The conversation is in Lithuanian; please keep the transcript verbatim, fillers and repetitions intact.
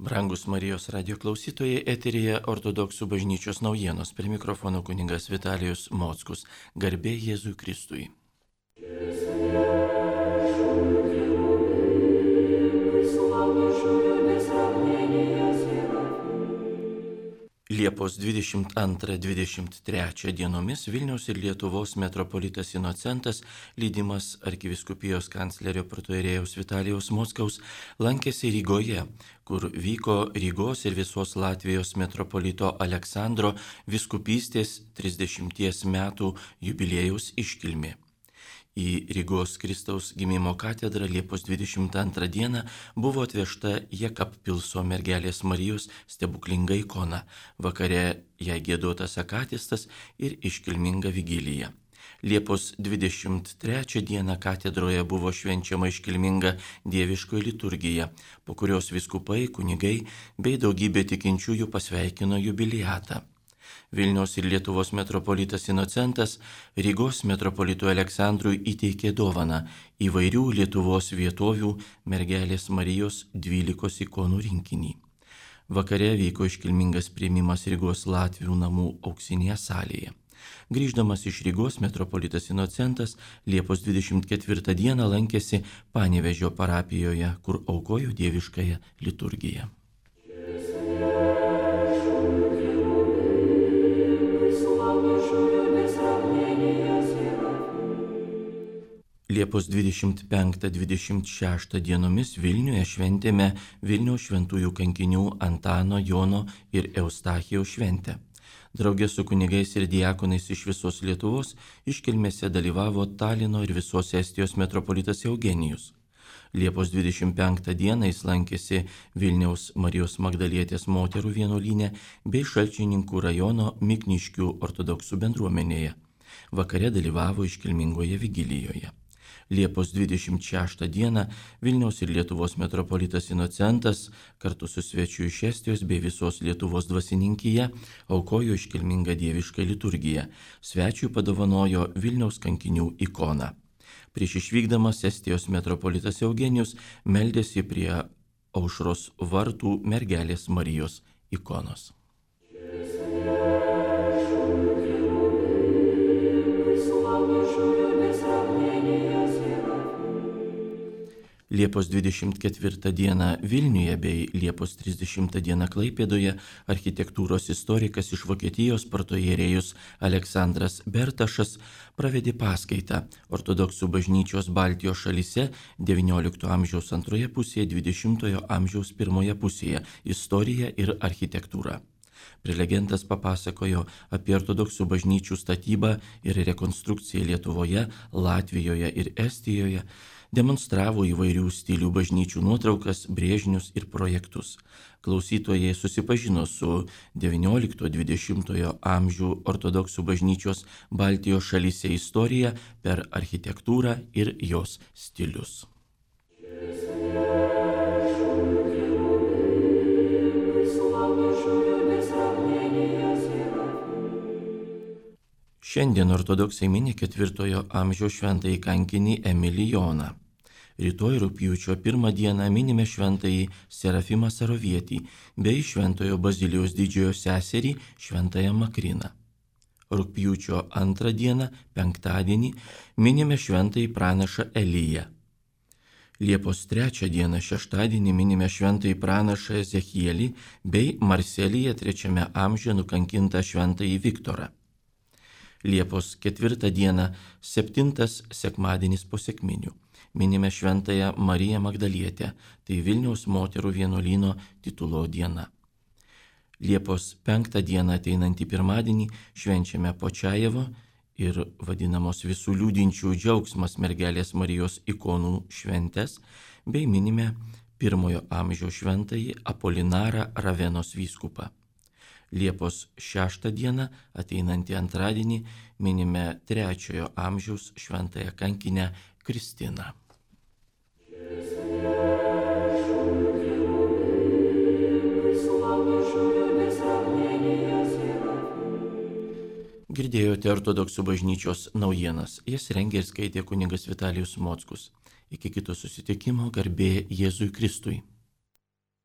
Brangus Marijos radio klausytojai, eteryje ortodoksų bažnyčios naujienos. Prie mikrofono kunigas Vitalijus Mockus. Garbė Jėzui Kristui. Liepos dvidešimt antrą dvidešimt trečią dienomis Vilniaus ir Lietuvos metropolitas Inocentas, lydimas arkivyskupijos kanclerio protoierėjaus Vitalijaus Mockaus, lankėsi Rygoje, kur vyko Rygos ir visos Latvijos metropolito Aleksandro vyskupystės trisdešimties metų jubiliejaus iškilmė. Į Rygos Kristaus gimimo katedrą Liepos dvidešimt antrą dieną buvo atvežta Jekabpilso mergelės Marijos stebuklinga ikona, vakare jai giedotas akatistas ir iškilminga vigilija. Liepos dvidešimt trečią dieną katedroje buvo švenčiama iškilminga dieviškoji liturgija, po kurios vyskupai, kunigai bei daugybė tikinčiųjų pasveikino jubiliatą. Vilniaus ir Lietuvos metropolitas Inocentas Rygos metropolitui Aleksandrui įteikė dovaną įvairių Lietuvos vietovių mergelės Marijos dvylikos ikonų rinkinį. Vakare vyko iškilmingas priėmimas Rygos Latvių namų auksinėje salėje. Grįždamas iš Rygos metropolitas Inocentas Liepos dvidešimt ketvirtą dieną lankėsi Panevėžio parapijoje, kur aukojo dieviškąją liturgiją. Liepos dvidešimt penktą dvidešimt šeštą dienomis Vilniuje šventėme Vilniaus šventųjų kankinių Antano, Jono ir Eustachijaus šventę. Draugė su kunigais ir diakonais iš visos Lietuvos iškilmėse dalyvavo Talino ir visos Estijos metropolitas Eugenijus. Liepos dvidešimt penktą dieną jis lankėsi Vilniaus Marijos Magdalietės moterų vienuolyne bei Šalčininkų rajono Mikniškių ortodoksų bendruomenėje. Vakare dalyvavo iškilmingoje vigilijoje. Liepos dvidešimt šeštą dieną Vilniaus ir Lietuvos metropolitas Inocentas kartu su svečiu iš Estijos bei visos Lietuvos dvasininkija aukojo iškilmingą dievišką liturgiją. Svečiui padovanojo Vilniaus kankinių ikoną. Prieš išvykdamas Estijos metropolitas Eugenijus meldėsi prie Aušros vartų mergelės Marijos ikonos. Liepos dvidešimt ketvirtą dieną Vilniuje bei Liepos trisdešimtą dieną Klaipėdoje architektūros istorikas iš Vokietijos protoierėjus Aleksandras Bertašas pravedė paskaitą ortodoksų bažnyčios Baltijos šalyse devyniolikto amžiaus antroje pusėje, dvidešimtojo amžiaus pirmoje pusėje – istorija ir architektūra. Prelegentas papasakojo apie ortodoksų bažnyčių statybą ir rekonstrukciją Lietuvoje, Latvijoje ir Estijoje, demonstravo įvairių stilių bažnyčių nuotraukas, brėžinius ir projektus. Klausytojai susipažino su devyniolikto dvidešimtojo amžių ortodoksų bažnyčios Baltijos šalyse istorija per architektūrą ir jos stilius. Šiandien ortodoksai mini ketvirtojo amžiaus šventąjį kankinį Emilijoną. Rytoj rugpjūčio pirmą dieną minime šventąjį Serafimą Sarovietį bei šventojo Bazilijos didžiojo seserį šventąją Makriną. Rugpjūčio antrą dieną, penktadienį, minime šventąjį pranašą Eliją. Liepos trečią dieną, šeštadienį, minime šventąjį pranašą Ezechielį bei Marselyje trečiame amžiuje nukankintą šventąjį Viktorą. Liepos ketvirtą dieną, septintas sekmadienis po sekminių, minime šventąją Mariją Magdalietę, tai Vilniaus moterų vienuolyno titulo diena. Liepos penktą dieną ateinantį pirmadienį švenčiame Počajevo ir vadinamos visų liūdinčių džiaugsmas mergelės Marijos ikonų šventes, bei minime pirmojo amžiaus šventąjį Apolinarą Ravenos vyskupą. Liepos šeštą dieną, ateinantį antradienį, minime trečiojo amžiaus šventąją kankinę Kristiną. Girdėjote ortodoksų bažnyčios naujienas. Jas rengė ir skaitė kunigas Vitalijus Mockus. Iki kito susitikimo, garbė Jėzui Kristui.